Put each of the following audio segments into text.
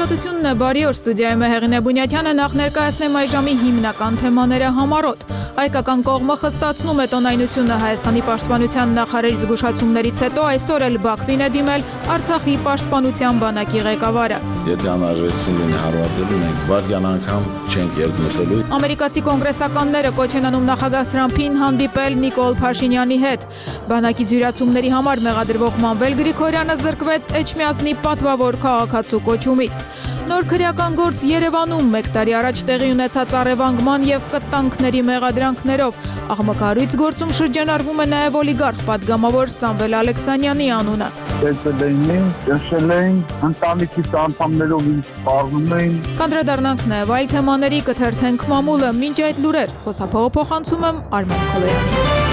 Ազատությունն է, բարի օր, ստուդիայում է Հեղինե Բունյաթյանը, նախ ներկայացնեմ այժմի հիմնական թեմաները համառոտ։ Հայկական կողմը խստացնում է տոնայնությունը Հայաստանի պաշտպանության նախարարի զգուշացումներից հետո այսօր էլ Բաքվին է դիմել Արցախի պաշտպանության բանակի ղեկավարը։ Եթե անհրաժեշտություն լինի հարվածելու, մենք վայրկյան անգամ չենք երկմտելու։ Ամերիկացի կոնգրեսականները կոչ են անում նախագահ Թրամփին հանդիպել Նիկոլ Փաշինյանի հետ։ Բանակի ձյուրացումների համար մեղադրվող Մանվել Գրիգորյանը զրկվեց Էջմիածնի պատվավոր քաղաքացու կոչումից։ Նոր քրեական գործ Երևանում 1 տարի առաջ տեղի ունեցած առևանգման եւ կտանքների մեղադրանքներով աղմկահարույց գործում շրջանառվում է նաեւ օլիգարխ պատգամավոր Սամվել Ալեքսանյանի անունը։ Ճնշել էին, ընտանիքի անդամներով ինձ սպառնում էին։ Կանդրադառնանք նաեւ այլ թեմաների, կթերթենք մամուլը, մինչ այդ լուրեր խոսափողը փոխանցում եմ Արմեն Քոլոյանին։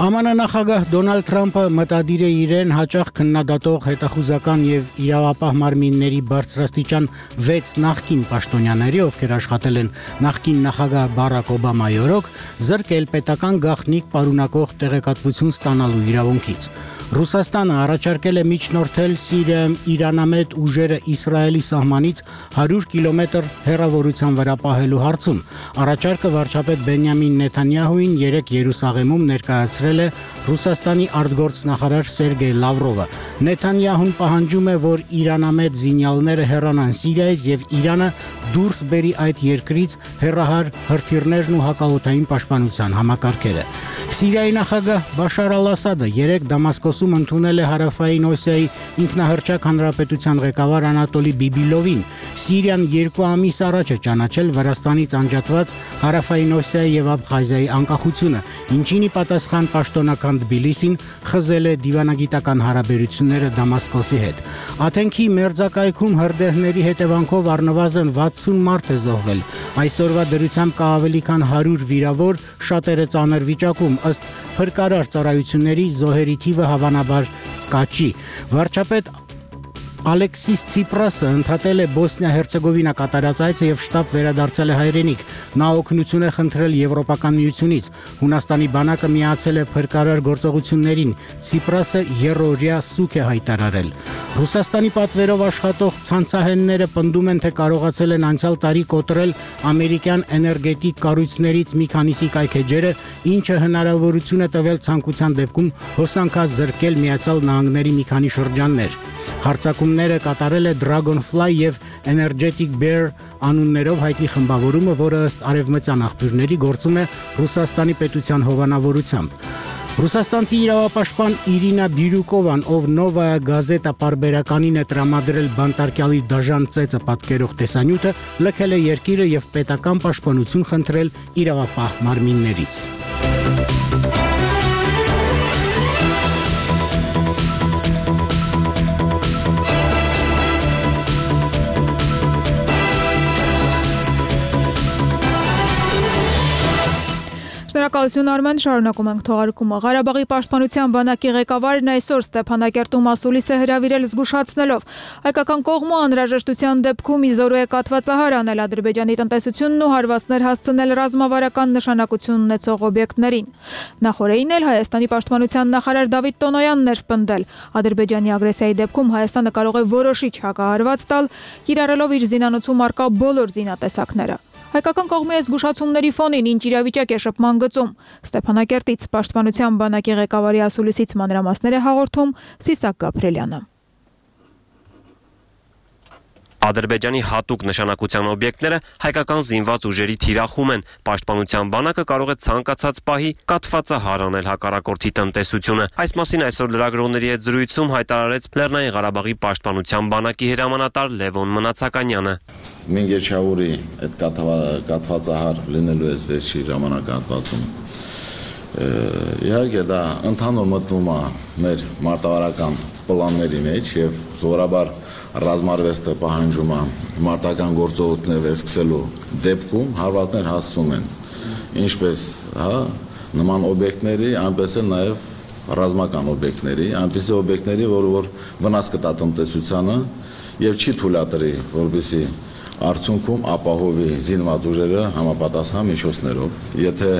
ԱՄՆ նախագահ Դոնալդ Թրամփը մտադիր է իրեն հաճախ քննադատող հետախուզական եւ իրավապահ մարմինների բարձրաստիճան 6 նախկին պաշտոնյաների, ովքեր աշխատել են նախկին նախագահ Բարակ Օբամայի օրոք, զրկել պետական գաղտնիք պարունակող տեղեկատվություն ստանալու իրավունքից։ Ռուսաստանը առաջարկել է միջնորդել Սիրիայում իրանամետ ուժերը Իսրայելի սահմանից 100 կիլոմետր հեռավորության վրա պահելու հարցում։ Առաջարկը վարչապետ Բենյամին Նեթանյահուին երեկ Երուսաղեմում ներկայացրել է Ռուսաստանի արտգործնախարար Սերգեյ Լավրովը։ Նեթանյահուն պահանջում է, որ իրանամետ զինյալները հեռանան Սիրիայից եւ Իրանը դուրս բերի այդ երկրից հեռահար հրթիռներն ու հակաօդային պաշտպանության համակարգերը։ Սիրիայի նախագահ Բաշար Ալ-Ասադը երեկ Դամասկոսում ընդունել է Հարավային Օսիայի ինքնահռչակ հանրապետության ղեկավար Անատոլի Բիբիլովին։ Սիրիան 2 ամիս առաջ է ճանաչել Վրաստանից անջատված Հարավային Օսիայի եւ Աբխազիայի անկախությունը, ինչին ի պատասխան պաշտոնական Թբիլիսին խզել է դիվանագիտական հարաբերությունները Դամասկոսի հետ։ Աթենքի մերձակայքում հրդեհների հետևանքով առնվազն 60 մարդ է զոհվել։ Այսօրվա դրությամբ կա ավելի քան 100 վիրավոր, շատերը ծանր վիճակում, ըստ փրկարար ծառայությունների զոհերի թիվը հավանաբար կաճի։ Վարչապետ Ալեքսիս Ցիպրասը ընդհատել է Բոսնիա-Հերցեգովինա կատարած այցը եւ շտապ վերադարձել է հայրենիք։ Նա օգնություն է խնդրել Եվրոպական միությունից։ Հունաստանի բանակը միացել է փրկարար գործողություններին։ Ցիպրասը երրորդյա սուկ է հայտարարել։ Ռուսաստանի պատվերով աշխատող ցանցահենները պնդում են, թե կարողացել են անցյալ տարի կոտրել ամերիկյան էներգետիկ կառույցներից մի քանիսի կայքեջերը, ինչը հնարավորություն է տվել ցանկության դեպքում հոսանքազրկել Միացյալ Նահանգների մի քանի շրջաններ։ Հարձակումները կատարել է Dragonfly եւ Energetic Bear անուններով հայտնի խմբավորումը, որը ըստ արևմտյան աղբյուրների գործում է Ռուսաստանի պետության հովանավորությամբ։ Ռուսաստանցի իրավապաշտպան Իրինա Բիրյուկովան, ով Նովայա գազետա պարբերականին է տրամադրել բանտարկյալի դաժան ծեծը պատկերող տեսանյութը, լքել է երկիրը եւ պետական պաշտպանություն խնդրել իրավապահ մարմիններից։ Շնորհակալություն Արմեն, շարունակում ենք թողարկումը։ Ղարաբաղի պաշտպանության բանակի ղեկավարն այսօր Ստեփանակերտում ասուլիս է հրավիրել զգուշացնելով հայկական կողմը անհրաժեշտության դեպքում իզորու է կաթվածահար անել Ադրբեջանի տնտեսությունն ու հարվածներ հասցնել ռազմավարական նշանակություն ունեցող օբյեկտներին։ Նախորդին էլ Հայաստանի պաշտպանության նախարար Դավիթ Տոնոյանն էր պնդել Ադրբեջանի ագրեսիայի դեպքում Հայաստանը կարող է որոշիչ հակահարված տալ, կիրառելով իր զինանոցում առկա բոլոր զինատեսակները։ Հայկական կողմի զգուշացումների ֆոնին ինչ իրավիճակ է շփման գծում։ Ստեփանակերտից պաշտպանության բանակի ղեկավարի ասուլիսից մանրամասներ է հաղորդում Սիսակ Գաբրելյանը։ Ադրբեջանի հատուկ նշանակության օբյեկտները հայկական զինված ուժերի թիրախում են։ Պաշտպանության բանակը կարող է ցանկացած պահի կաթվածահար անել հակառակորդի տնտեսությունը։ Այս մասին այսօր լրագրողների հետ զրույցում հայտարարեց Լեռնային Ղարաբաղի պաշտպանության բանակի հրամանատար Լևոն Մնացականյանը։ Մինգեչաուրի այդ կաթվածահար լինելու է վերջի ժամանակահատվածում։ Իհարկե դա ընդհանուր մտնում է մեր մարտավարական պլանների մեջ եւ զորաբար ռազմարվեստը պահանջում է մարտական գործողություններ վերսկսելու դեպքում հարվածներ հասցում են ինչպես նման օբյեկտների, այնպես էլ նաև ռազմական օբյեկտների, այնպիսի օբյեկտների, որ վնաս կտա տնտեսությանը եւ չի թույլատրի, որպեսզի արդյունքում ապահովի զինված ուժերը համապատասխան միջոցներով։ Եթե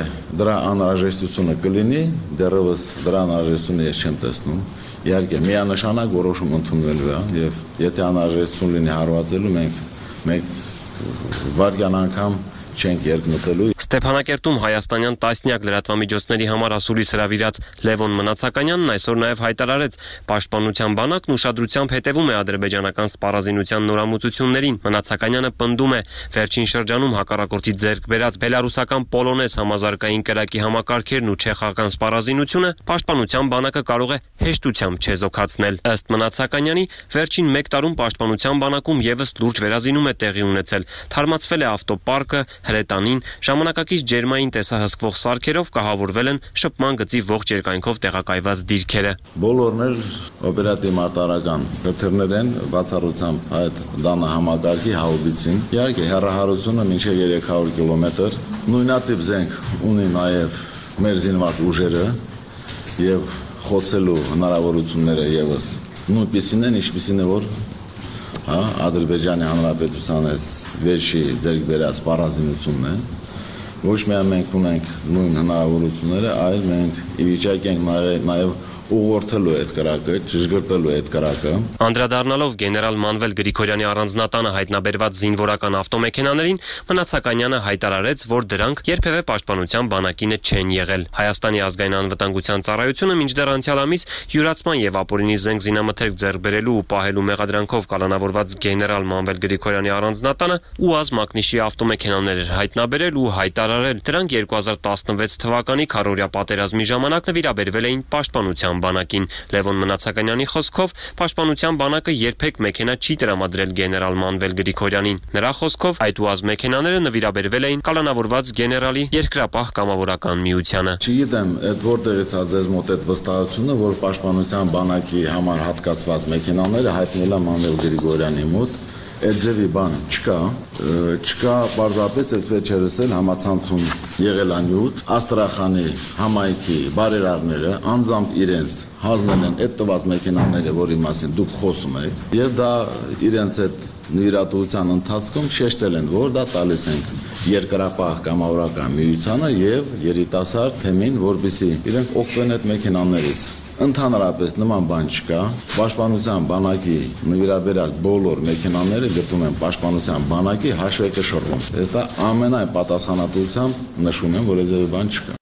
դրա անհրաժեշտությունը կլինի, դեռևս դրա անհրաժեշտությունը ես չեմ տեսնում։ Իհարկե, միանշանակ որոշում ընդունվելու է, եւ եթե անհրաժեշտություն լինի հարվածելու, մենք վարկյան անգամ չենք երկմտելու։ Ստեփանակերտում հայաստանյան տասնյակ լրատվամիջոցների համար ասուլիս հրավիրած Լևոն Մնացականյանն այսօր նաև հայտարարեց, պաշտպանության բանակն ուշադրությամբ հետևում է ադրբեջանական սպառազինության նորամուծություններին։ Մնացականյանը պնդում է, վերջին շրջանում հակառակորդի ձեռք բերած բելարուսական պոլոնեզ համազարգային կրակի համակարգերն ու չեխական սպառազինությունը պաշտպանության բանակը կարող է հեշտությամբ չեզոքացնել։ Ըստ Մնացականյանի, վերջին 1 տարում պաշտպանության բանակում եւս լուրջ վերազինում է տեղի ունեցել։ Թարմացվել է ավտոպարկը, հրետանին, ժամանակակից ջերմային տեսահսկվող սարքերով կահավորվել են շփման գծի ողջ երկայնքով տեղակայված դիրքերը։ Բոլորն էլ օպերատիվ մարտահրավերական քրթերներ են բացառությամբ այդ դանը համակարգի հաուբիցին։ Իհարկե հեռահարությունը մինչև 300 կիլոմետր, նույնատիպ զենք ունի նաև մեր զինված ուժերը եւ խոցելու հնարավորությունները եւս նույնպիսին են, ինչպիսին է որ Ադրբեջանի Հանրապետության վերջի ձեռք բերած սպառազինությունն է։ Ոչ միայն մենք ունենք նույն հնարավորությունները, այլ մենք ի վիճակի ենք նաև ուղղորդելու այդ կրակը, ճշգրտելու այդ կրակը։ Անդրադառնալով գեներալ Մանվել Գրիգորյանի առանձնատանը հայտնաբերված զինվորական ավտոմեքենաներին, Մնացականյանը հայտարարեց, որ դրանք երբևէ պաշտպանության բանակինը չեն եղել։ Հայաստանի ազգային անվտանգության ծառայությունը մինչդեռ անցյալ ամիս յուրացման եւ ապօրինի զենք զինամթերք ձեռք բերելու ու պահելու մեղադրանքով կալանավորված գեներալ Մանվել Գրիգորյանի առանձնատանը ՈՒԱԶ Մակնիշի ավտոմեքենաներ էր հայտնաբերել ու հայտարարել, դրանք 2016 թվականի քառօրյա պատերազմի ժամանակ նվիրաբերվել էին պաշտպանության բանակին։ Լևոն Մնացականյանի խոսքով պաշտպանության բանակը երբեք մեքենա չի տրամադրել գեներալ Մանվել Գրիգորյանին։ Նրա խոսքով այդ ՈՒԱԶ մեքենաները նվիրաբերվել էին կալանավորված գեներալի երկրապահ կամավորական միությանը։ Չգիտեմ, այդ որտեղից է ձեզ մոտ այդ վստահությունը, որ պաշտպանության բանակի համար հատկացված մեքենաները հայտնել է Մանվել Գրիգորյանի մոտ։ Այդ ձևի բան չկա, պարզապես այդ վերջերս էլ համացանցում եղել անյութ, Աստրախանի համայնքի բարերարները անձամբ իրենց հանձնել են այդ տված մեքենաները, որի մասին դուք խոսում եք, եւ դա իրենց այդ նվիրատվության ընթացքում շեշտել են, որ դա տալիս ենք երկրապահ կամավորական միությանը եւ երիտասարդ թեմին, որպեսզի իրենք օգտվեն այդ մեքենաներից։ Ընդհանրապես նման բան չկա, պաշտպանության բանակի նվիրաբերած բոլոր մեքենաները գտնում են պաշտպանության բանակի հաշվեկշռում։ Ես դա ամենայն պատասխանատվությամբ նշում եմ, որ այդ բան չկա։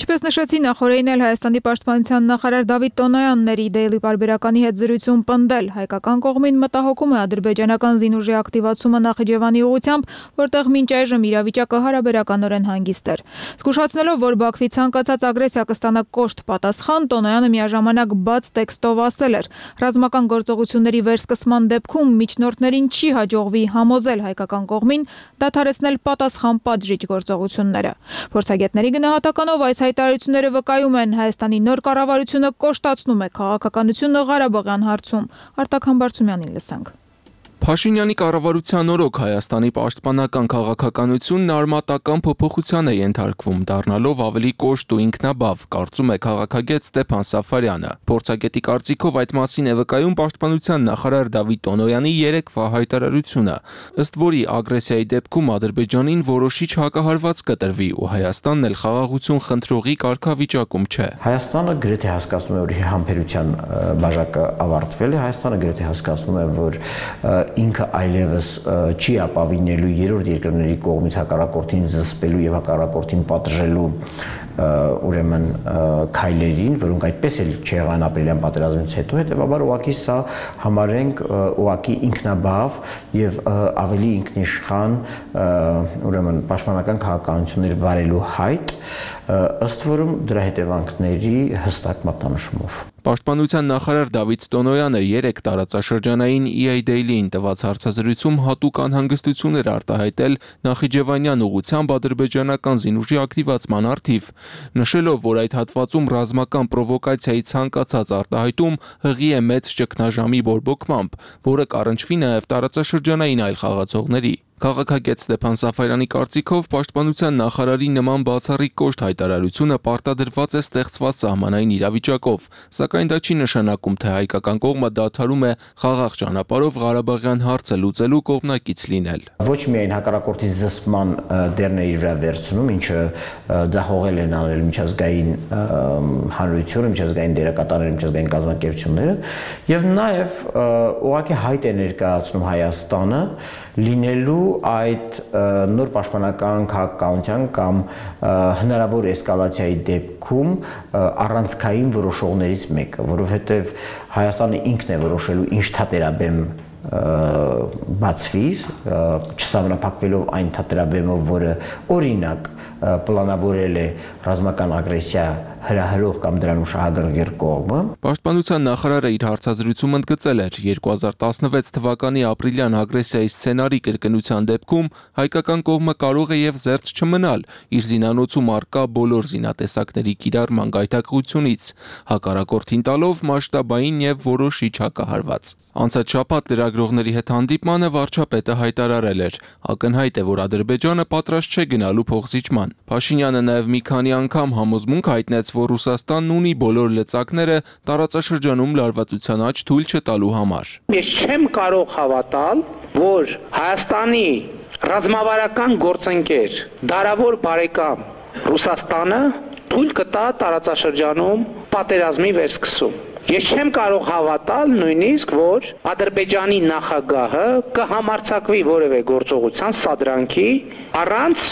Ինչպես նշեցի նախորդին էլ Հայաստանի պաշտպանության նախարար Դավիթ Տոնոյանն էր Daily Պարբերականի հետ զրույցում պնդել, հայկական կողմին մտահոգում է ադրբեջանական զինուժի ակտիվացումը Նախիջևանի ուղղությամբ, որտեղ մինչ այժմ իրավիճակը հարաբերականորեն հանգիստ էր։ Զգուշացնելով, որ Բաքվի ցանկացած ագրեսիա կստանա կոշտ պատասխան, Տոնոյանը միաժամանակ բաց տեքստով ասել էր. ռազմական գործողությունների վերսկսման դեպքում միջնորդներին չի հաջողվի համոզել հայկական կողմին դադարեցնել պատասխան պատժիչ գործողությունները։ Փորձագետների գնահատականով այս հայտարարությունները վկայում են Հայաստանի նոր կառավարությունը կոշտացնում է քաղաքականությունը Ղարաբաղյան հարցում։ Արտակ Համբարձումյանին լսենք։ Փաշինյանի կառավարության օրոք Հայաստանի պաշտպանական քաղաքականությունն արմատական փոփոխության է ենթարկվում, դառնալով ավելի կոշտ ու ինքնաբավ, կարծում է քաղաքագետ Ստեփան Սաֆարյանը։ Փորձագետի կարծիքով այդ մասին է վկայում պաշտպանության նախարար Դավիթ Տոնոյանի երեկվա հայտարարությունը, ըստ որի ագրեսիայի դեպքում Ադրբեջանին որոշիչ հակահարված կտրվի ու Հայաստանն էլ խաղաղություն խնդրողի կարգավիճակում չէ։ Հայաստանը գրեթե հասկացնում է, որ համբերության բաժակը ավարտվել է, Հայաստանը գրեթե հասկացնում է, որ ինքը այլևս չի ապավինելու երրորդ երկրների կողմից հակառակորդին զսպելու եւ հակառակորդին պատժելու ուրեմն քայլերին, որոնք այդպես էլ չեղան ապրիլյան պատերազմից հետո, հետեւաբար ուղղակի սա համարենք ուղղակի ինքնաբավ եւ ավելի ինքնիշխան ուրեմն պաշտպանական քաղաքականություններ վարելու հայտ, ըստ որում դրա հետևանքների հստակ մատնանշումով։ Պաշտպանության նախարար Դավիթ Տոնոյանը երեք տարածաշրջանային EA Daily-ին տված հարցազրույցում հատուկ անհանգստություններ արտահայտել Նախիջևանյան ուղղությամբ ադրբեջանական զինուժի ակտիվացման առթիվ, նշելով, որ այդ հատվածում ռազմական պրովոկացիայի ցանկացած արտահայտում հղի է մեծ ճգնաժամի բորբոքմամբ, որը կառնչվի նաև տարածաշրջանային այլ խաղացողների։ Քաղաքագետ Ստեփան Սաֆարյանի կարծիքով պաշտպանության նախարարի նման բացառիկ կոշտ հայտարարությունը պարտադրված է ստեղծված սահմանային իրավիճակով, սակայն դա չի նշանակում, թե հայկական կողմը դադարում է խաղաղ ճանապարհով Ղարաբաղյան հարցը լուծելու կողմնակից լինել։ Ոչ միայն հակառակորդի զսպման դերն է իր վրա վերցնում, ինչը ձախողել են անել միջազգային հանրությունը, միջազգային դերակատարները, միջազգային կազմակերպությունները, եւ նաեւ ուղղակի հայտ է ներկայացնում Հայաստանը լինելու այդ նոր պաշտպանական քաղաքականության կամ հնարավոր էսկալացիայի դեպքում առանցքային որոշողներից մեկը, որովհետև Հայաստանը ինքն է որոշելու ինչ թատերաբեմ բացվի, չսահմանափակվելով այն թատերաբեմով, որը օրինակ պլանավորել է ռազմական ագրեսիա հրահրող կամ դրանում շահագրգիռ կողմը։ Պաշտպանության նախարարը իր հարցազրույցում ընդգծել էր 2016 թվականի ապրիլյան ագրեսիայի սցենարի կրկնության դեպքում հայկական կողմը կարող է եւ զերծ չմնալ իր զինանոցում առկա բոլոր զինատեսակների կիրառման գայթակղությունից, հակառակորդին տալով մասշտաբային եւ որոշիչ հակահարված։ Անցած շաբաթ լրագրողների հետ հանդիպմանը վարչապետը հայտարարել էր. ակնհայտ է, որ Ադրբեջանը պատրաստ չէ գնալու փոխզիջման։ Փաշինյանը նաև մի քանի անգամ համոզմունք հայտնեց, որ Ռուսաստանն ունի բոլոր լծակները տարածաշրջանում լարվածության աճ թույլ չտալու համար։ Ես չեմ կարող հավատալ, որ Հայաստանի ռազմավարական գործընկեր, դարավոր բարեկամ Ռուսաստանը թույլ կտա տարածաշրջանում պատերազմի վերսկսում։ Ես չեմ կարող հավատալ նույնիսկ, որ Ադրբեջանի նախագահը կհամարձակվի որևէ գործողության սադրանքի առանց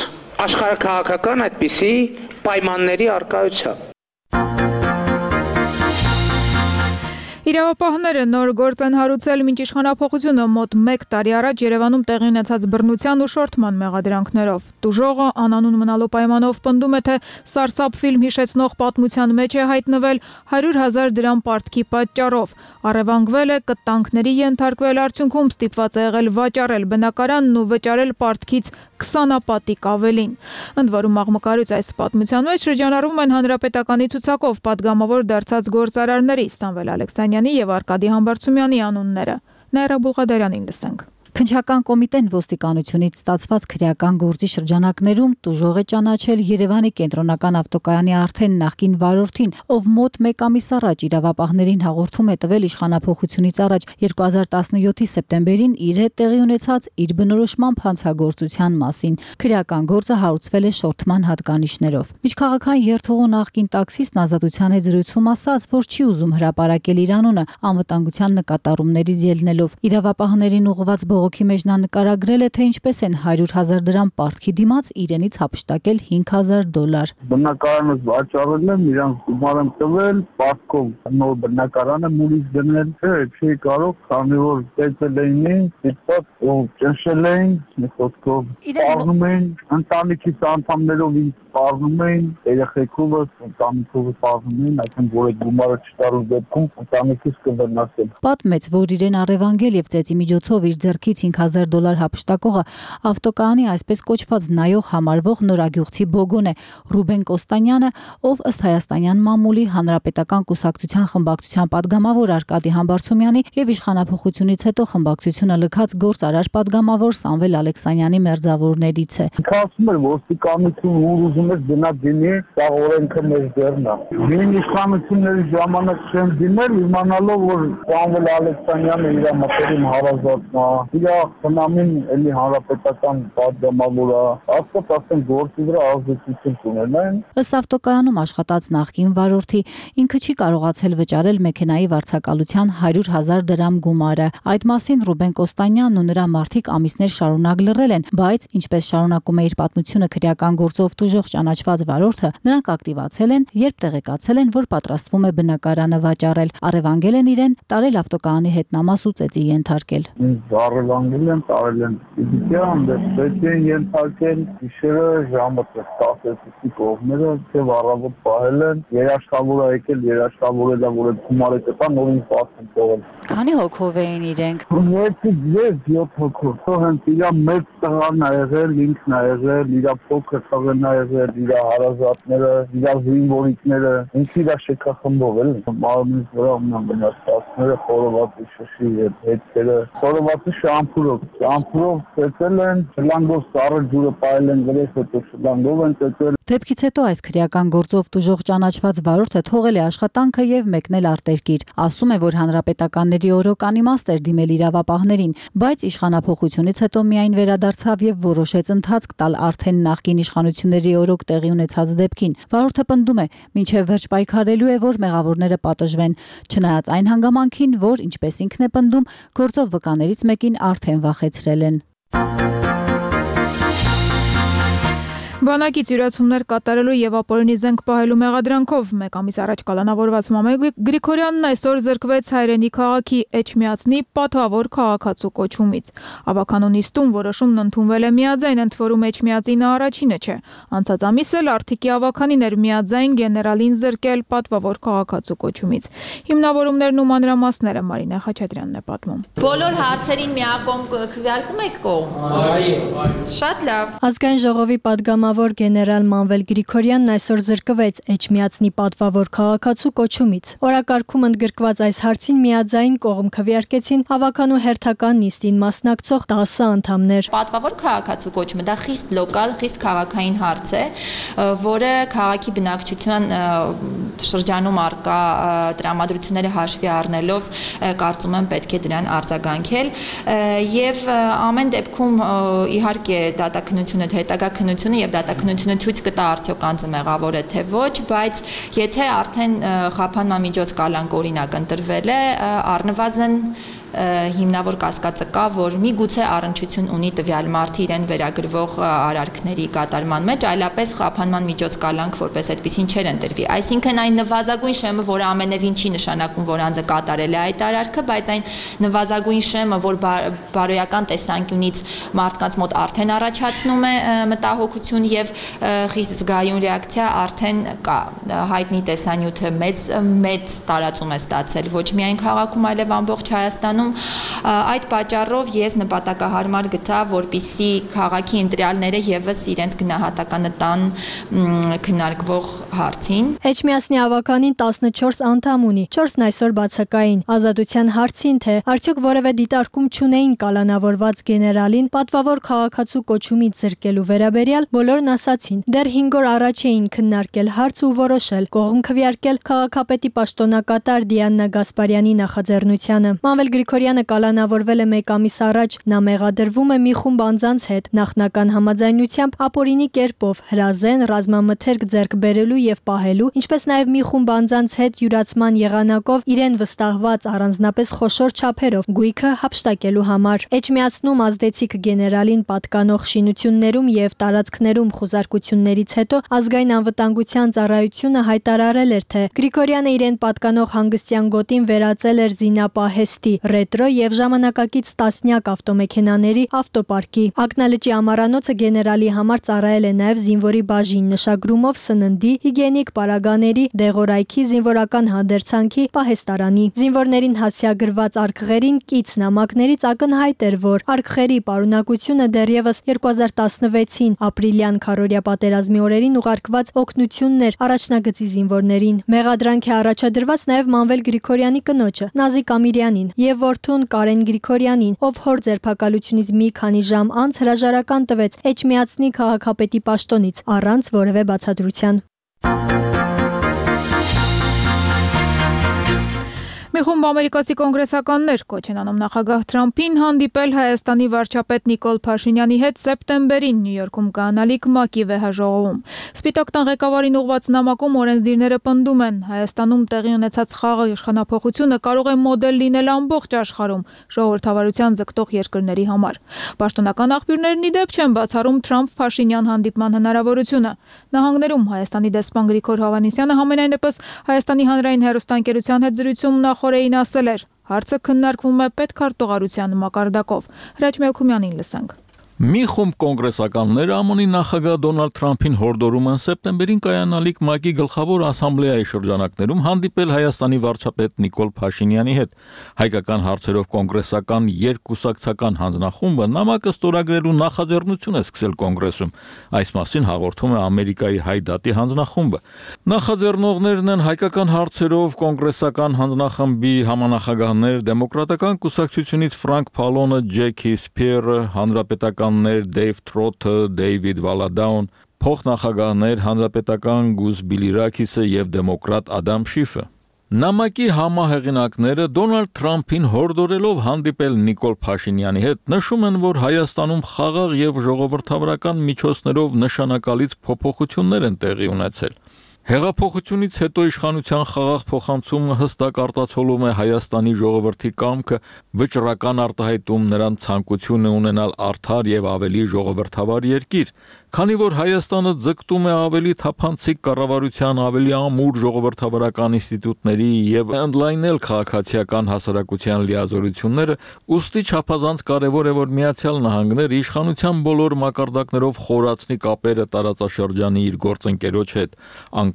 աշխարհաքաղաքական այդպիսի պայմանների առկայության։ Իրավապահները նոր գործ են հարուցել մինչ իշխանափոխությունը մոտ 1 տարի առաջ Երևանում տեղի ունեցած բռնության ու շորթման մեղադրանքներով։ Տուժողը անանուն մնալու պայմանով պնդում է, թե սարսափ ֆիլմ հիշեցնող պատմության մեջ է հայտնվել 100,000 դրամ պարտքի պատճառով։ Առևանգվել է, կտանքների ենթարկվել, արդյունքում ստիպված է եղել վաճառել բնակարանն ու վճարել պարտքից 20-պատիկ ավելին։ Ընդ որում աղմկարույց այս պատմության մեջ շրջանառվում են հանրապետականի ցուցակով պատգամավոր դարձած գործարարների Սամվել Ալեքսանյանի եւ Արկադի Համբարձումյանի անունները։ Նաիրա Բուլղադարյանին լսենք։ Քննչական կոմիտեն ոստիկանությունից ստացված քրեական գործի շրջանակներում տուժող է ճանաչել Երևանի կենտրոնական ավտոկայանի արդեն նախկին վարորդին, ով մոտ 1 ամիս առաջ իրավապահներին հաղորդում է տվել իշխանափոխությունից առաջ 2017-ի սեպտեմբերին իր հետ տեղի ունեցած իր բնորոշմամբ հանցագործության մասին։ Քրեական գործը հարուցվել է շորթման հատկանիշներով։ Միջքաղաքային երթուղու նախկին տաքսիստն Ազատության հետ զրույցում ասաց, որ չի ուզում հրապարակել իր անունը անվտանգության նկատառումներից ելնելով։ Իրավապահներին ուղղված բողոքի մեջ նա նկարագրել է, թե ինչպես են 100,000 դրամ պարտքի դիմաց իրենից հափշտակել $5,000։ Բնակարանը վաճառել եմ, իրանց գումար եմ տվել, պարտքով նոր բնակարանը մուրից դնել, չի կարող, քանի որ տեսել էին, ստիպված ու ճնշել էին, մի խոսքով սպառնում էին, ընտանիքից անդամներով ինձ սպառնում էին, երեխեքովս, ընտանիքովս սպառնում էին, այսինքն որ այդ գումարը չտալու դեպքում ընտանիքից կվնասել։ Պատմեց, որ իրեն առևանգել եւ ծեծի միջոցով իր ձեռքից $5,000 հափշտակողը ավտոկայանի այսպես կոչված նայող համարվող նորագյուղցի բոգոն է Ռուբեն Կոստանյանը, ով ըստ հայաստանյան մամուլի հանրապետական կուսակցության խմբակցության падգամավոր Արկադի Համբարձումյանի եւ իշխանափոխությունից հետո խմբակցությունը լքած գործարար падգամավոր Սամվել Ալեքսանյանի մերձավորներից է։ Ասում էր ոստիկանություն ուզում է գնա դինի, դա օրենքը մեր ձեռն է։ Նույն իշխանությունների ժամանակ չեմ դիմել, իմանալով որ Սամվել Ալեքսանյանը իր մտերիմ հարազատն է, իր խնամին էլի հանրապետական падգամավորը, ասեն գործի վրա ազդեցություն ունենային։ Ըստ ավտոկայանում աշխատած նախկին վարորդի ինքը չի կարողացել վճարել մեքենայի վարձակալության 100,000 դրամ գումարը։ Այդ մասին Ռուբեն Կոստանյանն ու նրա մարդիկ ամիսներ շարունակ լռել են, բայց ինչպես շարունակում է իր պատմությունը քրեական գործով տուժող ճանաչված վարորդը, նրանք ակտիվացել են, երբ տեղեկացել են, որ պատրաստվում է բնակարանը վաճառել, առևանգել են իրեն, տարել ավտոկայանի հետնամաս ու ծեծի ենթարկել։ Առևանգել են, տարել են ֆիզիկան, ծեծի են ենթարկել, գիշերը ժամը 10-ի կողմերը, եւ առավոտ պահել են, երաշխավոր է եկել, երաշխավորել է, որ այդ գումարը կտա, նորին պատմում թողել։ Քանի հոգով էին իրենք։ 6-7 հոգով։ Հենց իր մեծ տղան ա եղել, ինքն ա եղել, իր փոքր տղեն ա եղել, իր հարազատները, իր զինվորիկները, ինքը իր շեքախմբով էլ։ Մարմնից վրա ունեն վնասվածքները, խորովածի շշի հետքերը, խորովածի Ճամփուրով ծեծել են, շլանգով սառը ջուրը պայել են գրեթե, հետո շլանգով են ծեծել։ Դեպքից հետո այս քրեական գործով տուժող ճանաչված վարորդը թողել է աշխատանքը եւ մեկնել արտերկիր։ Ասում է, որ հանրապետականների օրոք անիմաստ էր դիմել իրավապահներին, բայց իշխանափոխությունից հետո միայն վերադարձավ եւ որոշեց ընթացք տալ արդեն նախկին իշխանությունների օրոք տեղի ունեցած դեպքին։ Վարորդը պնդում է, մինչեւ վերջ պայքարելու է, որ մեղավորները պատժվեն, չնայած այն հանգամանքին, որ ինչպես ինքն է պնդում, գործով վկաներից մեկին արդեն վախեցրել են։ Բանակից յուրացումներ կատարելու եւ ապօրինի զենք պահելու մեղադրանքով մեկ ամիս առաջ կալանավորված Մամայ Գրիգորյանն այսօր զրկվեց հայրենի քաղաքի Էջմիածնի պատվավոր քաղաքացու կոչումից։ Ավականու նիստում որոշումն ընդունվել է միաձայն, ընդ որում Էջմիածինը առաջինը չէ։ Անցած ամիս էլ Արթիկի ավականին էր միաձայն գեներալին զրկել պատվավոր քաղաքացու կոչումից։ Հիմնավորումներն ու մանրամասները Մարինե Խաչատրյանն է պատմում։ Բոլոր հարցերին միակողմ քվեարկում եք կողմ։ Այո։ Շատ լավ։ Ազգային ժողովի պատգամավոր գեներալ Մանվել Գրիգորյանն այսօր զրկվեց Էջմիածնի պատվավոր քաղաքացու կոչումից։ Օրակարգում ընդգրկված այս հարցին միաձայն կողմ քվեարկեցին ավականու հերթական նիստին մասնակցող 10 անդամներ։ Պատվավոր քաղաքացու կոչումը դա խիստ լոկալ, խիստ քաղաքային հարց է, որը քաղաքի բնակչության շրջանում արկա տրամադրությունները հաշվի առնելով կարծում եմ պետք է դրան արձագանքել եւ ամեն դեպքում իհարկե դատաքննությունը հետագա քննությունը եւ դատաքննությունը ցույց կտա արդյոք անձը մեղավոր է թե ոչ, բայց եթե արդեն խափանման միջոց կալանք օրինակ ընտրվել է, առնվազն հիմնավոր կասկածը կա, որ միգուցե առնչություն ունի տվյալ մարդը իրեն վերագրվող արարքների կատարման մեջ, այլապես խափանման միջոց կալանք որպես այդպեսին չէր ընտրվի։ Այսինքն այն նվազագույն շեմը, որը ամենևին չի նշանակում, որ անձը կատարել է այդ արարքը, բայց այն նվազագույն շեմը, որ բարոյական տեսանկյունից մարդկանց մոտ արդեն առաջացնում է մտահոգություն եւ խիստ զգայուն ռեակցիա արդեն կա։ Հայտնի տեսանյութը մեծ տարածում է ստացել ոչ միայն քաղաքում, այլև ամբողջ Հայաստանում։ Այդ պատճառով ես նպատակահարմար գտա, որպիսի քաղաքի ընտրյալները եւս իրենց գնահատականը տան քննարկվող հարցին։ Էջմիածնի ավականին 14 անդամ ունի, 4-ն այսօր բացակային։ Ազատության հարցին, թե արդյոք որևէ դիտարկում չունեին կալանավորված գեներալին պատվավոր քաղաքացու կոչումից զրկելու վերաբերյալ, բոլորն ասացին։ Դեռ 5 օր առաջ էին քննարկել հարց ու որոշել կողմ քվեարկել քաղաքապետի պաշտոնակատար Դիանա Գասպարյանի նախաձեռնությանը։ Մանվել Գրիգորյանը կալանավորվել է մեկ ամիս առաջ, նա մեղադրվում է մի խումբ անձանց հետ նախնական համաձայնությամբ ապօրինի կերպով հրազեն, ռազմամթերք ձեռք բերելու եւ պահելու, ինչպես նաեւ մի խումբ անձանց հետ յուրացման եղանակով իրեն վստահված առանձնապես խոշոր չափերով գույքը հափշտակելու համար։ Էջմիածնում ազդեցիկ գեներալին պատկանող շինություններում եւ տարածքներում խուզարկություններից հետո ազգային անվտանգության ծառայությունը հայտարարել էր, թե Գրիգորյանը իրեն պատկանող հանգստյան գոտին վերածել էր զինապահեստի, ռետրո եւ ժամանակակից տասնյակ ավտոմեքենաների ավտոպարկի։ Ակնալճի ամառանոցը գեներալի համար ծառայել է նաեւ զինվորի բաժին նշագրումով սննդի, հիգիենիկ պարագաների, դեղորայքի, զինվորական հանդերձանքի, պահեստարանի։ Զինվորներին հասցեագրված արկղերին կից նամակներից ակնհայտ էր, որ արկղերի պարունակությունը դեռևս 2016-ին ապրիլյան քարորիա պատերազմի օրերին ուղարկված օգնություններ առաջնագծի զինվորներին։ Մեղադրանք է առաջադրված նաեւ Մանվել Գրիգորյանի կնոջը Նազիկ Ամիրյանին եւ որդուն Կարեն Գրիգորյանին, ով հոր ձերբակալությունից մի քանի ժամ անց հրաժարական տվեց Էջմիածնի քաղաքապետի պաշտոնից առանց որևէ բացատրության։ Մի խումբ ամերիկացի կոնգրեսականներ կոչ են անում նախագահ Թրամփին հանդիպել Հայաստանի վարչապետ Նիկոլ Փաշինյանի հետ սեպտեմբերին Նյու Յորքում կայանալիք ՄԱԿ-ի վեհաժողովում։ Սպիտակ տան ղեկավարին ուղղված նամակում օրենսդիրները պնդում են, Հայաստանում տեղի ունեցած խաղաղ իշխանափոխությունը կարող է մոդել լինել ամբողջ աշխարհում ժողովրդավարության ձգտող երկրների համար։ Պաշտոնական աղբյուրներն ի դեպ չեն բացառում Թրամփ-Փաշինյան հանդիպման հնարավորությունը։ Նահանգներում Հայաստանի դեսպան Գրիգոր Հովհաննիսյանը համենայնպես Հայաստանի հանրային հեռուստաընկերության հետ զրույցում նախորդին ասել էր. հարցը քննարկվում է պետքարտուղարության մակարդակով։ Հրաչ Մելքումյանին լսենք։ Մի խումբ կոնգրեսականներ ԱՄՆ-ի նախագահ Դոնալդ Թրամփին հորդորում են սեպտեմբերին կայանալիք ՄԱԿ-ի գլխավոր ասամբլեայի շրջանակներում հանդիպել Հայաստանի վարչապետ Նիկոլ Փաշինյանի հետ։ Հայկական հարցերով կոնգրեսական երկկուսակցական հանձնախումբը նամակը ստորագրելու նախաձեռնություն է սկսել կոնգրեսում։ Այս մասին հաղորդում է Ամերիկայի Հայ դատի հանձնախումբը։ Նախաձեռնողներն են հայկական հարցերով կոնգրեսական հանձնախմբի համանախագահներ, դեմոկրատական կուսակցությունից Ֆրանկ Փալոնը, Ջեքի Սփիերը, հանրապետական Դեյվ Թրոթը, Դեյվիդ Վալադաուն, փոխնախագահներ հանրապետական Գուզ Բիլիրակիսը եւ դեմոկրատ Ադամ Շիֆը։ Նամակի համահեղինակները Դոնալդ Թրամփին հորդորելով հանդիպել Նիկոլ Փաշինյանի հետ նշում են, որ Հայաստանում խաղաղ եւ ժողովրդավարական միջոցներով նշանակալից փոփոխություններ են տեղի ունեցել։ Հեղափոխությունից հետո իշխանության խաղաղ փոխանցումը հստակ արտացոլում է Հայաստանի ժողովրդի կամքը, վճռական արտահայտում նրան ցանկությունը ունենալ արդար եւ ավելի ժողովրդավար երկիր, քանի որ Հայաստանը ձգտում է ավելի թափանցիկ կառավարության, ավելի ամուր ժողովրդավարական ինստիտուտների եւ ընդլայնել քաղաքացիական հասարակության լիազորությունները, ուստի չափազանց կարեւոր է, որ Միացյալ Նահանգները իշխանության բոլոր մակարդակներով խորացնի կապերը տարածաշրջանի իր գործընկերոջ հետ։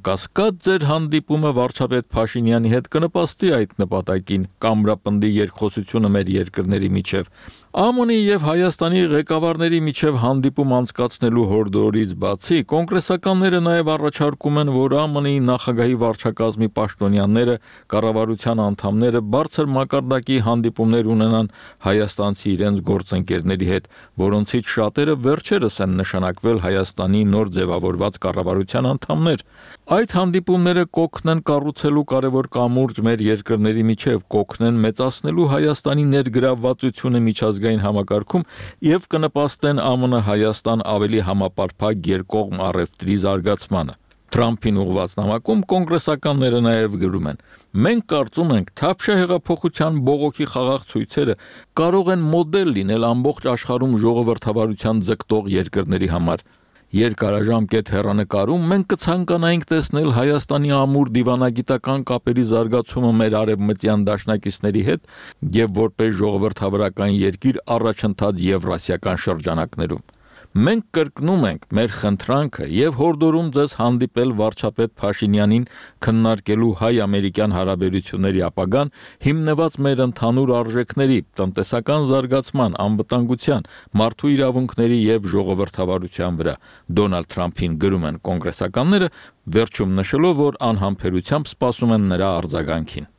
Կասկած ձեր հանդիպումը վարչապետ Փաշինյանի հետ կնպաստի այդ նպատակին, կամրապնդի երկխոսությունը մեր երկրների միջև։ ԱՄՆ-ի եւ Հայաստանի ղեկավարների միջև հանդիպում անցկացնելու հորդորից բացի, կոնգրեսականները նաեւ առաջարկում են, որ ԱՄՆ-ի նախագահի վարչակազմի պաշտոնյաները, կառավարության անդամները բարձր մակարդակի հանդիպումներ ունենան հայաստանցի իրենց գործընկերների հետ, որոնցից շատերը վերջերս են նշանակվել Հայաստանի նոր ձևավորված կառավարության անդամներ։ Այդ հանդիպումները կօգնեն կառուցելու կարևոր կամուրջ մեր երկրների միջև, կօգնեն մեծացնելու Հայաստանի ներգրավվածությունը միջազգային համակարգում եւ կնպաստեն ԱՄՆ-Հայաստան ավելի համապարփակ երկկողմ առևտրի զարգացմանը։ Թրամփին ուղղված նամակում կոնգրեսականները նաև գրում են. «Մենք կարծում ենք, թավշյա հեղափոխության բողոքի խաղաղ ցույցերը կարող են մոդել լինել ամբողջ աշխարհում ժողովրդավարության ձգտող երկրների համար։ Երկարաժամկետ հեռանկարում մենք կցանկանայինք տեսնել Հայաստանի ամուր դիվանագիտական կապերի զարգացումը մեր արևմտյան դաշնակիցների հետ եւ որպես ժողովրդավարական երկիր առաջընթաց եվրասիական շրջանակներում։ Մենք կրկնում ենք մեր խնդրանքը եւ հորդորում ձեզ հանդիպել վարչապետ Փաշինյանին քննարկելու հայ-ամերիկյան հարաբերությունների ապագան հիմնված մեր ընդհանուր արժեքների, տնտեսական զարգացման, անվտանգության, մարդու իրավունքների եւ ժողովրդավարության վրա։ Դոնալդ Թրամփին գրում են կոնգրեսականները, վերջում նշելով, որ անհամբերությամբ սպասում են նրա արձագանքին։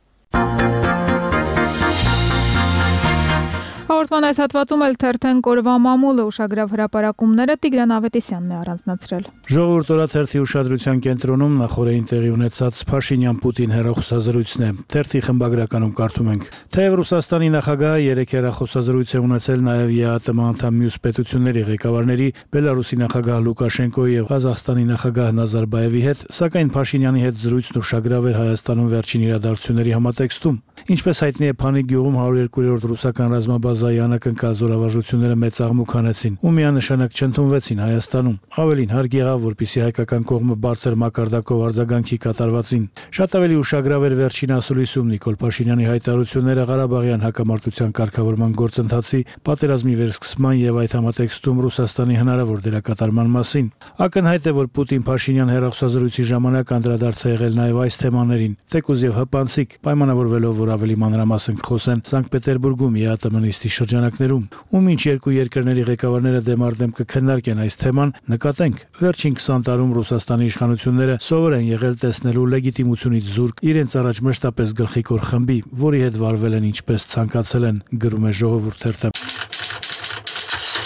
Հաղորդման այս հատվածում էլ թերթեն կորվա մամուլը ուշագրավ հրապարակումները Տիգրան Ավետիսյանն է առանձնացրել։ Ժողովուրդ օրաթերթի ուշադրության կենտրոնում նախորդին տեղի ունեցած Փաշինյան-Պուտին հեռախոսազրույցն է։ Թերթի խմբագրականում կարդում ենք. Թեև Ռուսաստանի նախագահը 3 հեռախոսազրույց է ունեցել նաև ԵԱՏՄ անդամ մյուս պետությունների ղեկավարների, Բելարուսի նախագահ Լուկաշենկոյի եւ Ղազախստանի նախագահ Նազարբաևի հետ, սակայն Փաշինյանի հետ զրույցն ուշագրավ էր Հայաստանում վերջին իրադարձությունների համատեքստում։ Ինչպես հայտնի է, Փանի գյուղում 102-րդ ռուսական ռազմաբազայի անակնկալ զորավարժությունները մեծ աղմուկ հանեցին ու միանշանակ չընդունվեցին Հայաստանում։ Ավելին, հարկ եղավ, որպեսզի հայկական կողմը բարձր մակարդակով արձագանքի կատարվածին։ Շատ ավելի ուշագրավ էր վերջին ասուլիսում Նիկոլ Փաշինյանի հայտարարությունները Ղարաբաղյան հակամարտության կարգավորման գործընթացի, պատերազմի վերսկսման եւ այդ համատեքստում Ռուսաստանի հնարավոր դերակատարման մասին։ Ակնհայտ է, որ Պուտին-Փաշինյան հեռախոսազրույցի ժամանակ անդրադարձ է եղել նաեւ այս թեմաներին, թեկուզ եւ հպանցիկ, պայմանավորվելով, որ ավելի մանրամասն կխոսեն Սանկտ Պետերբուրգում ԵԱՏՄ նիստի շրջանակներում, ու մինչ երկու երկրների ղեկավարները դեմ առ դեմ կքննարկեն այս թեման, նկատենք, վերջին 20 տարում Ռուսաստանի իշխանությունները սովոր են եղել տեսնելու լեգիտիմությունից զուրկ իրենց առաջ մշտապես գլխիկոր խմբի, որի հետ վարվել են ինչպես ցանկացել են, գրում է Ժողովուրդ թերթը։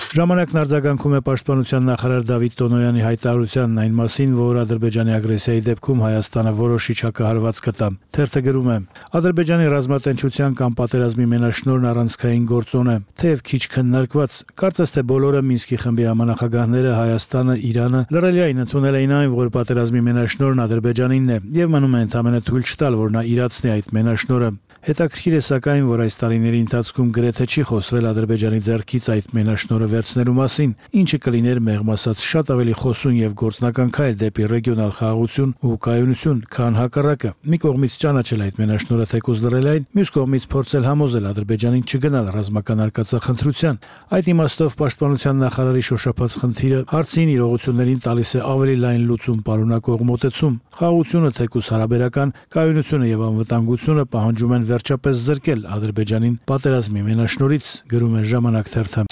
Ժամանակն արձագանքում է պաշտպանության նախարար Դավիթ Տոնոյանի հայտարարությանն այն մասին, որ Ադրբեջանի ագրեսիայի դեպքում Հայաստանը որոշիչ հակահարված կտա։ Թերթը գրում է. Ադրբեջանի ռազմատենչության կամ պատերազմի մենաշնորհն առանցքային գործոն է, թեև քիչ քննարկված, կարծես թե բոլորը Մինսկի խմբի համանախագահները Հայաստանը, Իրանը լրելիային ընդունել էին այն, որ պատերազմի մենաշնորհն Ադրբեջանինն է եւ մնում է ընդամենը թույլ չտալ, որ նա իրացնի այդ մենաշնորհը։ Հետաքրքիր է սակայն, որ այս տարիների ընթացքում գրեթե չի խոսվել Ադրբեջանի ձեռքից այդ մենաշնորհը վերցնելու մասին, ինչը կլիներ մեղմ ասած շատ ավելի խոսուն եւ գործնական քայլ դեպի ռեգիոնալ խաղաղություն ու կայունություն, քան հակառակը։ Մի կողմից ճանաչել այդ մենաշնորհը թեկուզ լրել, մյուս կողմից փորձել համոզել Ադրբեջանին չգնալ ռազմական արկածախնդրության։ Այդ իմաստով պաշտպանության նախարարի շոշափած խնդիրը հարցին իրողություններին տալիս է ավելի լայն լուծում պարունակող մոտեցում։ Խաղաղությունը թեկուզ հարաբերական, կայունությունը եւ անվտանգությունը պահանջում են վերջապես զրկել Ադրբեջանին պատերազմի մենաշնորհից, գրում է Ժամանակ թերթը։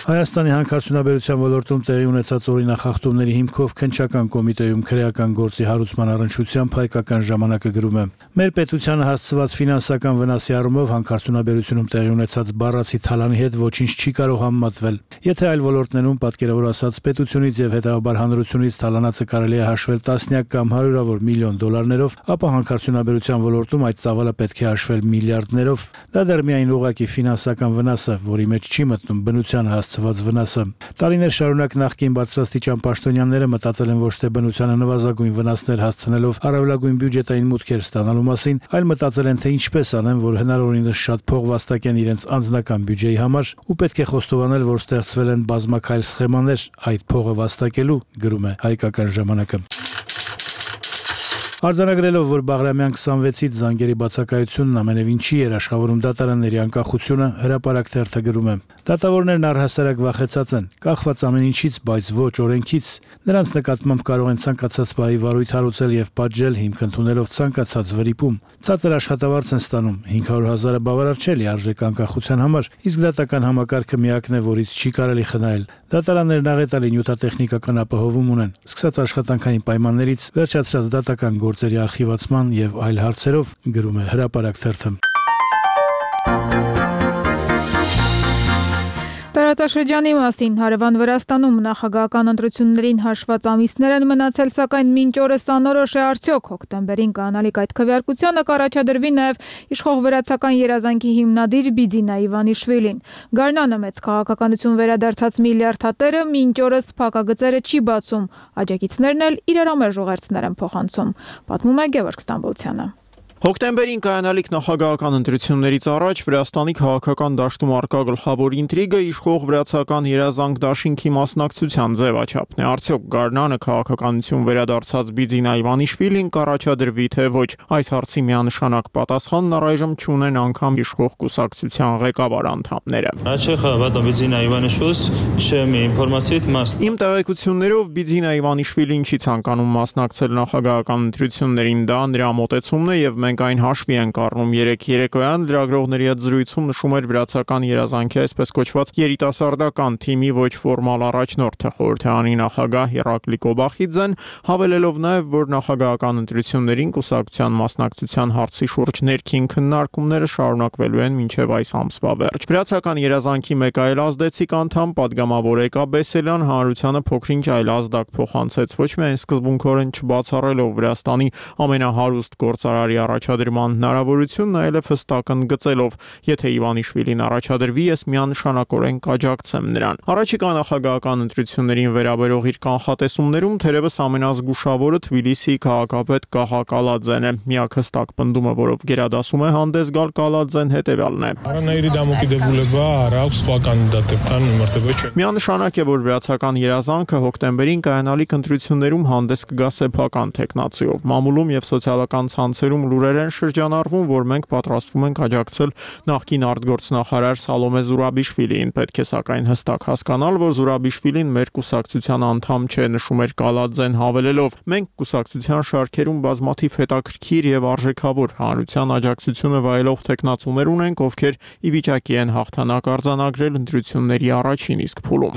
Հայաստանի հանքարդյունաբերության ոլորտում տեղի ունեցած օրինախախտումների հիմքով քննչական կոմիտեում քրեական գործի հարուցման առնչությամբ հայկական ժամանակը գրում է. Մեր պետությանը հասցված ֆինանսական վնասի առումով հանքարդյունաբերությունում տեղի ունեցած բառացի թալանի հետ ոչինչ չի կարող համեմատվել։ Եթե այլ ոլորտներում պատկերավոր ասած պետությունից եւ հետագաբար հանրությունից թալանածը կարելի է հաշվել տասնյակ կամ հարյուրավոր միլիոն դոլարներով, ապա հանքարդյունաբերության ոլորտում այդ ծավալը պետք է հաշվել միլիարդներով։ Դա դեռ միայն ուղղակի ֆինանսական վնաս է, որի մեջ չի մտնում բնությանը հասցված վնասը։ Տարիներ շարունակ նախկին բարձրաստիճան պաշտոնյաները մտածել են ոչ թե բնությանը նվազագույն վնասներ հասցնելով առավելագույն բյուջետային մուտքեր ստանալու մասին, այլ մտածել են, թե ինչպես անեն, որ հնարավորինս շատ փող վաստակեն իրենց անձնական բյուջեի համար, ու պետք է խոստովանել, որ ստեղծվել են բազմակայլ սխեմաներ այդ փողը վաստակելու, գրում է հայկական ժամանակը։ Արձանագրելով, որ Բաղրամյան 26-ից զանգերի բացակայությունն ամենևին չի երաշխավորում դատարանների անկախությունը, հրապարակ թերթը գրում է. Դատավորներն առհասարակ վախեցած են, կախված ամեն ինչից, բայց ոչ օրենքից։ Նրանց նկատմամբ կարող են ցանկացած բայի վարույթ հարուցել եւ պատժել հիմք ընդունելով ցանկացած վրիպում։ Ցածր աշխատավարձ են ստանում, 500,000-ը բավարար չէ լիարժեք անկախության համար, իսկ դատական համակարգը միակն է, որից չի կարելի խնայել։ Դատարաններն աղետալի նյութատեխնիկական ապահովում ունեն, սկսած աշխատանքային պայմաններից, վերջացրած դատական գործերի արխիվացման եւ այլ հարցերով, գրում է հրապարակ թերթը։ Տարածաշրջանի մասին հարևան Վրաստանում նախագահական ընտրություններին հաշված ամիսներ են մնացել, սակայն մինչ օրս անորոշ է արդյոք հոկտեմբերին կանալիք այդ քվեարկությանը կառաջադրվի նաև իշխող վրացական երազանքի հիմնադիր Բիձինա Իվանիշվիլին։ Գարնանը մեծ քաղաքականություն վերադարձած միլիարդատերը մինչ օրս փակագծերը չի բացում, աջակիցներն էլ իրար ամեր ժողերցներ են փոխանցում, պատմում է Գևորգ Ստամբոլցյանը։ Հոկտեմբերին կայանալիք նախագահական ընտրություններից առաջ Վրաստանի քաղաքական դաշտում առկա գլխավոր ինտրիգը իշխող վրացական երազանք դաշինքի մասնակցության ձևաչափն է։ Արդյոք Գարնանը քաղաքականություն վերադարձած Բիձինա Իվանիշվիլին կառաջադրվի թե ոչ։ Այս հարցի միանշանակ պատասխանն առայժմ չունեն անգամ իշխող կուսակցության ղեկավար անդամները։ Իմ տեղեկություններով Բիձինա Իվանիշվիլին չի ցանկանում մասնակցել նախագահական ընտրություններին, դա նրա մոտեցումն է եւ մենք այն հաշվի ենք առնում։ Երեկ երեկոյան լրագրողների հետ զրույցում նշում էր վրացական երազանքի այսպես կոչված երիտասարդական թիմի ոչ ֆորմալ առաջնորդը խորհրդարանի նախագահ Իրակլի Կոբախիձեն, հավելելով նաև, որ նախագահական ընտրություններին կուսակցության մասնակցության հարցի շուրջ ներքին քննարկումները շարունակվելու են մինչև այս ամսվա վերջ։ Վրացական երազանքի մեկ այլ ազդեցիկ անդամ падգամավոր Էկա Բեսելյան հանրությանը փոքրինչ այլ ազդակ փոխանցեց, ոչ միայն սկզբունքորեն չբացառելով Վրաստանի ամենահարուստ գործարարի առաջադրման հնարավորությունն, այլև հստակ ընդգծելով, եթե Իվանիշվիլին առաջադրվի, ես միանշանակորեն կաջակցեմ նրան։ Առաջիկա նախագահական ընտրություններին վերաբերող իր կանխատեսումներում թերևս ամենազգուշավորը Թբիլիսիի քաղաքապետ Կահա Կալաձեն է։ Միակ հստակ պնդումը, որով գերադասում է հանդես գալ Կալաձեն, հետևյալն է. Միանշանակ է, որ վրացական երազանքը հոկտեմբերին կայանալիք ընտրություններում հանդես կգա սեփական տեխնացիով։ Մամուլում եւ սոցիալական ցանցերում լուրեր են շրջանառվում, որ մենք պատրաստվում ենք աջակցել նախկին արտգործնախարար Սալոմե Զուրաբիշվիլիին։ Պետք է սակայն հստակ հասկանալ, որ Զուրաբիշվիլին մեր կուսակցության անդամ չէ, նշում էր Կալաձեն, հավելելով. մենք կուսակցության շարքերում բազմաթիվ հետաքրքիր եւ արժեքավոր հանրության աջակցությունը վայելող տեխնացուներ ունենք, ովքեր ի վիճակի են հաղթանակ արձանագրել ընտրությունների առաջին իսկ փուլում։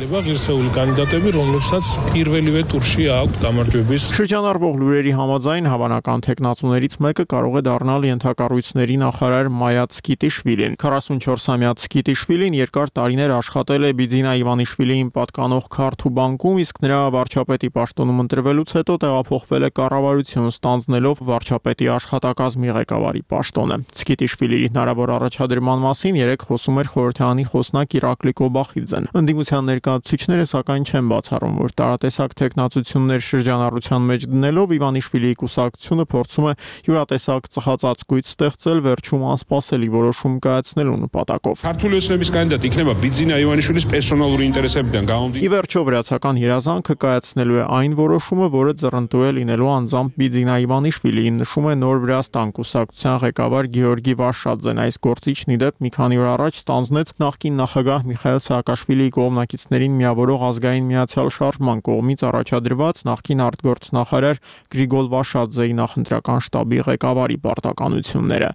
Շրջանառվող լուրերի համաձայն հավանական տեխնացուներից մեկը կարող է դառնալ ենթակառույցների նախարար Մայա Ցկիտիշվիլին։ 44-ամյա Ցկիտիշվիլին երկար տարիներ աշխատել է Բիձինա Իվանիշվիլիին պատկանող քարթ ու բանկում, իսկ նրա վարչապետի պաշտոնում ընտրվելուց հետո տեղափոխվել է կառավարություն, ստանձնելով վարչապետի աշխատակազմի ղեկավարի պաշտոնը։ Ցկիտիշվիլիի հնարավոր առաջադրման մասին երեկ խոսում էր խորհրդարանի խոսնակ Իրակլի Կոբախիձեն։ Ընդդիմության ներկայացուցիչները սակայն չեն բացառում, որ տարատեսակ տեխնացություններ շրջանառության մեջ դնելով Իվանիշվիլիի կուսակցությունը փորձում է յուրատեսակ տակ ծխածածկույց ստեղծել վերջում անսպասելի որոշում կայացնելու նպատակով։ Քարտուղարի ուսանողի կանդիդատ ինքնավա Բիձինա Իվանիշვილის պերսոնալ ինտերեսებიდან գաղանդի։ Ի վերջո վրացական հրազանքը կայացնելու է այն որոշումը, որը ձեռնտու է լինելու անձամբ Բիձինա Իվանիշվիլիին, նշում է Նոր Վրաստան կուսակցության ղեկավար Գեորգի Վաշադզեն։ Այս գործիչն ի դեպ մի քանի օր առաջ ստանձնեց նախկին նախագահ Միխայել Սաակաշվիլիի կողմնակիցներին միավորող ազգային միացյալ շարժման կողմից առաջադրված նախկին արտգործնախարար Գրիգոլ Վաշադզեի նախընտրական շտաբի ղեկավարի պարտականությունները։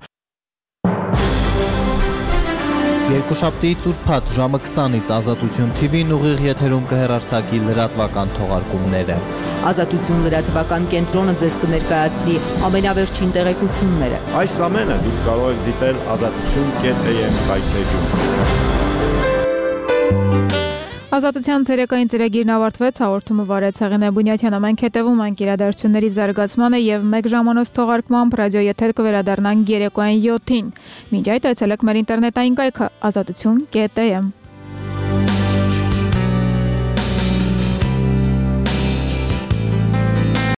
Երկուշաբթիից ուրբաթ ժամը 20-ից Ազատություն TV-ն ուղիղ եթերում կհեռարձակի լրատվական թողարկումները։ Ազատություն լրատվական կենտրոնը ձեզ կներկայացնի ամենավերջին տեղեկությունները։ Այս ամենը դուք կարող եք դիտել azatutun.am հայտնեջում։ Ազատության ցերեկային ծրագիրն ավարտվեց, հաղորդումը վարեց Հեղինե Բունյաթյանը։ Մենք հետևում ենք իրադարձությունների զարգացմանը եւ 1 ժամանոց թողարկմամբ ռադիո եթեր կվերադառնանք երեկոյան 7-ին։ Մինչ այդ այցելեք մեր ինտերնետային կայքը azatutun.am։